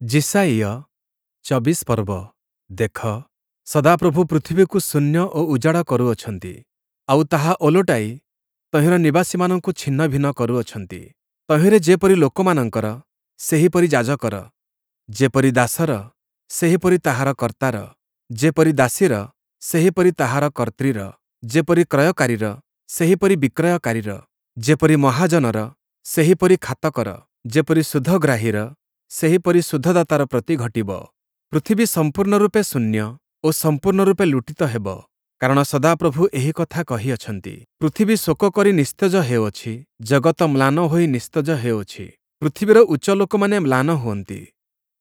ଯିଶାଇୟ ୨୪ ପର୍ବ। ଦେଖ, ସଦାପ୍ରଭୁ ପୃଥିବୀକୁ ଶୂନ୍ୟ ଓ ଉଜାଡ଼ କରୁଅଛନ୍ତି, ଆଉ ତାହା ଓଲଟାଇ ତହିଁର ନିବାସୀମାନଙ୍କୁ ଛିନ୍ନଭିନ୍ନ କରୁଅଛନ୍ତି। ତହିଁରେ ଯେପରି ଲୋକମାନଙ୍କର, ସେହିପରି ଯାଜକର, ଯେପରି ଦାସର, ସେହିପରି ତାହାର କର୍ତ୍ତାର, ଯେପରି ଦାସୀର, ସେହିପରି ତାହାର କର୍ତ୍ତ୍ରୀର, ଯେପରି କ୍ରୟକାରୀର, ସେହିପରି ବିକ୍ରୟକାରୀର, ଯେପରି ମହାଜନର, ସେହିପରି ଖାତକର, ଯେପରି ସୁଧଗ୍ରାହୀର, ସେହିପରି ସୁଧଦାତାର ପ୍ରତି ଘଟିବ। ପୃଥିବୀ ସମ୍ପୂର୍ଣ୍ଣ ରୂପେ ଶୂନ୍ୟ ଓ ସମ୍ପୂର୍ଣ୍ଣ ରୂପେ ଲୁଟିତ ହେବ, କାରଣ ସଦାପ୍ରଭୁ ଏହି କଥା କହିଅଛନ୍ତି। ପୃଥିବୀ ଶୋକ କରି ନିସ୍ତେଜ ହେଉଅଛି, ଜଗତ ମ୍ଳାନ ହୋଇ ନିସ୍ତେଜ ହେଉଅଛି। ପୃଥିବୀର ଉଚ୍ଚ ଲୋକମାନେ ମ୍ଳାନ ହୁଅନ୍ତି।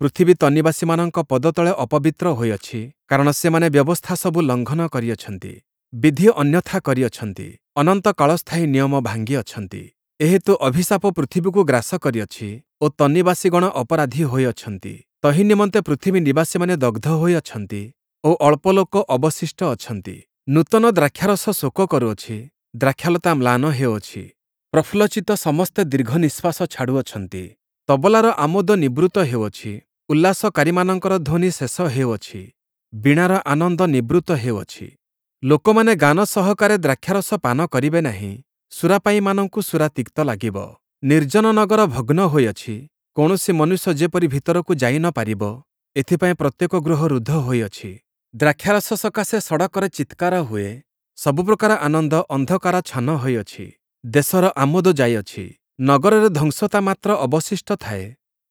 ପୃଥିବୀ ତନ୍ନିବାସୀମାନଙ୍କ ପଦତଳେ ଅପବିତ୍ର ହୋଇଅଛି, କାରଣ ସେମାନେ ବ୍ୟବସ୍ଥା ସବୁ ଲଙ୍ଘନ କରିଅଛନ୍ତି, ବିଧି ଅନ୍ୟଥା କରିଅଛନ୍ତି, ଅନନ୍ତ କାଳସ୍ଥାୟୀ ନିୟମ ଭାଙ୍ଗିଅଛନ୍ତି। ଏହେତୁ ଅଭିଶାପ ପୃଥିବୀକୁ ଗ୍ରାସ କରିଅଛି ଓ ତନ୍ନିବାସୀଗଣ ଅପରାଧୀ ହୋଇଅଛନ୍ତି। ତହିଁ ନିମନ୍ତେ ପୃଥିବୀ ନିବାସୀମାନେ ଦଗ୍ଧ ହୋଇଅଛନ୍ତି ଓ ଅଳ୍ପ ଲୋକ ଅବଶିଷ୍ଟ ଅଛନ୍ତି। ନୂତନ ଦ୍ରାକ୍ଷାରସ ଶୋକ କରୁଅଛି, ଦ୍ରାକ୍ଷାଲତା ମ୍ଳାନ ହେଉଅଛି, ପ୍ରଫୁଲ୍ଲଚିତ୍ତ ସମସ୍ତେ ଦୀର୍ଘ ନିଃଶ୍ୱାସ ଛାଡ଼ୁଅଛନ୍ତି। ତବଲାର ଆମୋଦ ନିବୃତ୍ତ ହେଉଅଛି, ଉଲ୍ଲାସକାରୀମାନଙ୍କର ଧ୍ୱନି ଶେଷ ହେଉଅଛି, ବୀଣାର ଆନନ୍ଦ ନିବୃତ୍ତ ହେଉଅଛି। ଲୋକମାନେ ଗାନ ସହକାରେ ଦ୍ରାକ୍ଷାରସ ପାନ କରିବେ ନାହିଁ, ସୁରାପାୟୀମାନଙ୍କୁ ସୁରା ତିକ୍ତ ଲାଗିବ। ନିର୍ଜନ ନଗର ଭଗ୍ନ ହୋଇଅଛି, କୌଣସି ମନୁଷ୍ୟ ଯେପରି ଭିତରକୁ ଯାଇ ନ ପାରିବ, ଏଥିପାଇଁ ପ୍ରତ୍ୟେକ ଗୃହ ରୁଦ୍ଧ ହୋଇଅଛି। ଦ୍ରାକ୍ଷାରସ ସକାଶେ ସଡ଼କରେ ଚିତ୍କାର ହୁଏ, ସବୁପ୍ରକାର ଆନନ୍ଦ ଅନ୍ଧକାରାଚ୍ଛନ୍ନ ହୋଇଅଛି। ଦେଶର ଆମୋଦ ଯାଇଅଛି, ନଗରରେ ଧ୍ୱଂସତା ମାତ୍ର ଅବଶିଷ୍ଟ ଥାଏ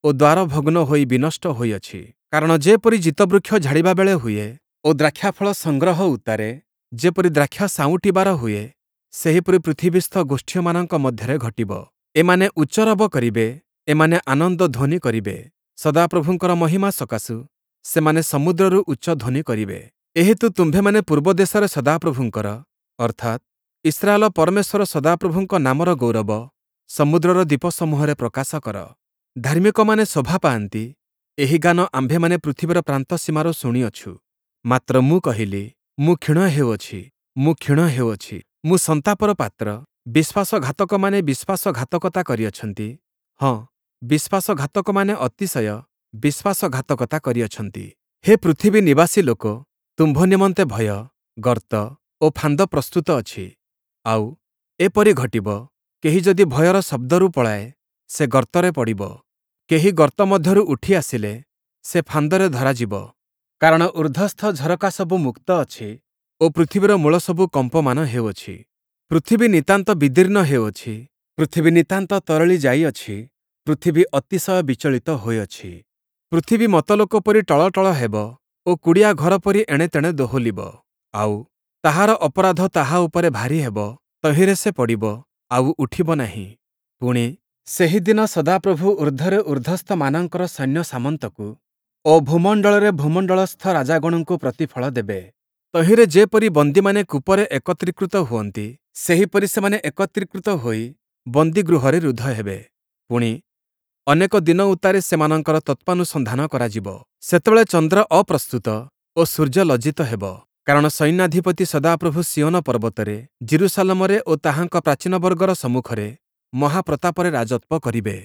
ଓ ଦ୍ୱାର ଭଗ୍ନ ହୋଇ ବିନଷ୍ଟ ହୋଇଅଛି। କାରଣ ଯେପରି ଜୀତବୃକ୍ଷ ଝାଡ଼ିବା ବେଳେ ହୁଏ ଓ ଦ୍ରାକ୍ଷାଫଳ ସଂଗ୍ରହ ଉତ୍ତାରେ ଯେପରି ଦ୍ରାକ୍ଷା ସାଉଁଟିବାର ହୁଏ, ସେହିପରି ପୃଥିବୀସ୍ଥ ଗୋଷ୍ଠୀୟମାନଙ୍କ ମଧ୍ୟରେ ଘଟିବ। ଏମାନେ ଉଚ୍ଚରବ କରିବେ, ଏମାନେ ଆନନ୍ଦ ଧ୍ୱନି କରିବେ। ସଦାପ୍ରଭୁଙ୍କର ମହିମା ସକାଶୁ ସେମାନେ ସମୁଦ୍ରରୁ ଉଚ୍ଚ ଧ୍ୱନି କରିବେ। ଏହେତୁ ତୁମ୍ଭେମାନେ ପୂର୍ବ ଦେଶରେ ସଦାପ୍ରଭୁଙ୍କର, ଅର୍ଥାତ୍ ଇସ୍ରାଏଲ ପରମେଶ୍ୱର ସଦାପ୍ରଭୁଙ୍କ ନାମର ଗୌରବ ସମୁଦ୍ରର ଦ୍ୱୀପସମୂହରେ ପ୍ରକାଶ କର। ଧାର୍ମିକମାନେ ଶୋଭା ପାଆନ୍ତି, ଏହି ଗାନ ଆମ୍ଭେମାନେ ପୃଥିବୀର ପ୍ରାନ୍ତ ସୀମାରୁ ଶୁଣିଅଛୁ। ମାତ୍ର ମୁଁ କହିଲି, ମୁଁ କ୍ଷୀଣ ହେଉଅଛି, ମୁଁ କ୍ଷୀଣ ହେଉଅଛି, ମୁଁ ସନ୍ତାପର ପାତ୍ର। ବିଶ୍ୱାସଘାତକମାନେ ବିଶ୍ୱାସଘାତକତା କରିଅଛନ୍ତି, ହଁ, ବିଶ୍ୱାସଘାତକମାନେ ଅତିଶୟ ବିଶ୍ୱାସଘାତକତା କରିଅଛନ୍ତି। ହେ ପୃଥିବୀ ନିବାସୀ ଲୋକ, ତୁମ୍ଭ ନିମନ୍ତେ ଭୟ, ଗର୍ତ୍ତ ଓ ଫାନ୍ଦ ପ୍ରସ୍ତୁତ ଅଛି। ଆଉ ଏପରି ଘଟିବ, କେହି ଯଦି ଭୟର ଶବ୍ଦରୁ ପଳାଏ, ସେ ଗର୍ତ୍ତରେ ପଡ଼ିବ। କେହି ଗର୍ତ୍ତ ମଧ୍ୟରୁ ଉଠି ଆସିଲେ, ସେ ଫାନ୍ଦରେ ଧରାଯିବ। କାରଣ ଊର୍ଦ୍ଧ୍ୱସ୍ଥ ଝରକା ସବୁ ମୁକ୍ତ ଅଛି ଓ ପୃଥିବୀର ମୂଳ ସବୁ କମ୍ପମାନ ହେଉଅଛି। ପୃଥିବୀ ନିତାନ୍ତ ବିଦୀର୍ଣ୍ଣ ହେଉଅଛି, ପୃଥିବୀ ନିତାନ୍ତ ତରଳି ଯାଇଅଛି, ପୃଥିବୀ ଅତିଶୟ ବିଚଳିତ ହୋଇଅଛି। ପୃଥିବୀ ମତଲୋକ ପରି ଟଳଟଳ ହେବ ଓ କୁଡ଼ିଆ ଘର ପରି ଏଣେତେଣେ ଦୋହଲିବ। ଆଉ ତାହାର ଅପରାଧ ତାହା ଉପରେ ଭାରୀ ହେବ, ତହିଁରେ ସେ ପଡ଼ିବ, ଆଉ ଉଠିବ ନାହିଁ। ପୁଣି, ସେହିଦିନ ସଦାପ୍ରଭୁ ଊର୍ଦ୍ଧ୍ୱରେ ଊର୍ଦ୍ଧ୍ୱସ୍ଥମାନଙ୍କର ସୈନ୍ୟ ସାମନ୍ତକୁ ଓ ଭୂମଣ୍ଡଳରେ ଭୂମଣ୍ଡଳସ୍ଥ ରାଜାଗଣଙ୍କୁ ପ୍ରତିଫଳ ଦେବେ। ତହିଁରେ ଯେପରି ବନ୍ଦୀମାନେ କୂପରେ ଏକତ୍ରୀକୃତ ହୁଅନ୍ତି, ସେହିପରି ସେମାନେ ଏକତ୍ରୀକୃତ ହୋଇ ବନ୍ଦୀଗୃହରେ ରୁଦ୍ଧ ହେବେ। ପୁଣି, ଅନେକ ଦିନ ଉତ୍ତାରେ ସେମାନଙ୍କର ତତ୍ତ୍ୱାନୁସନ୍ଧାନ କରାଯିବ। ସେତେବେଳେ ଚନ୍ଦ୍ର ଅପ୍ରସ୍ତୁତ ଓ ସୂର୍ଯ୍ୟ ଲଜ୍ଜିତ ହେବ। କାରଣ ସୈନ୍ୟାଧିପତି ସଦାପ୍ରଭୁ ସିୟୋନ ପର୍ବତରେ, ଯିରୂଶାଲମରେ ଓ ତାହାଙ୍କ ପ୍ରାଚୀନବର୍ଗର ସମ୍ମୁଖରେ ମହାପ୍ରତାପରେ ରାଜତ୍ୱ କରିବେ।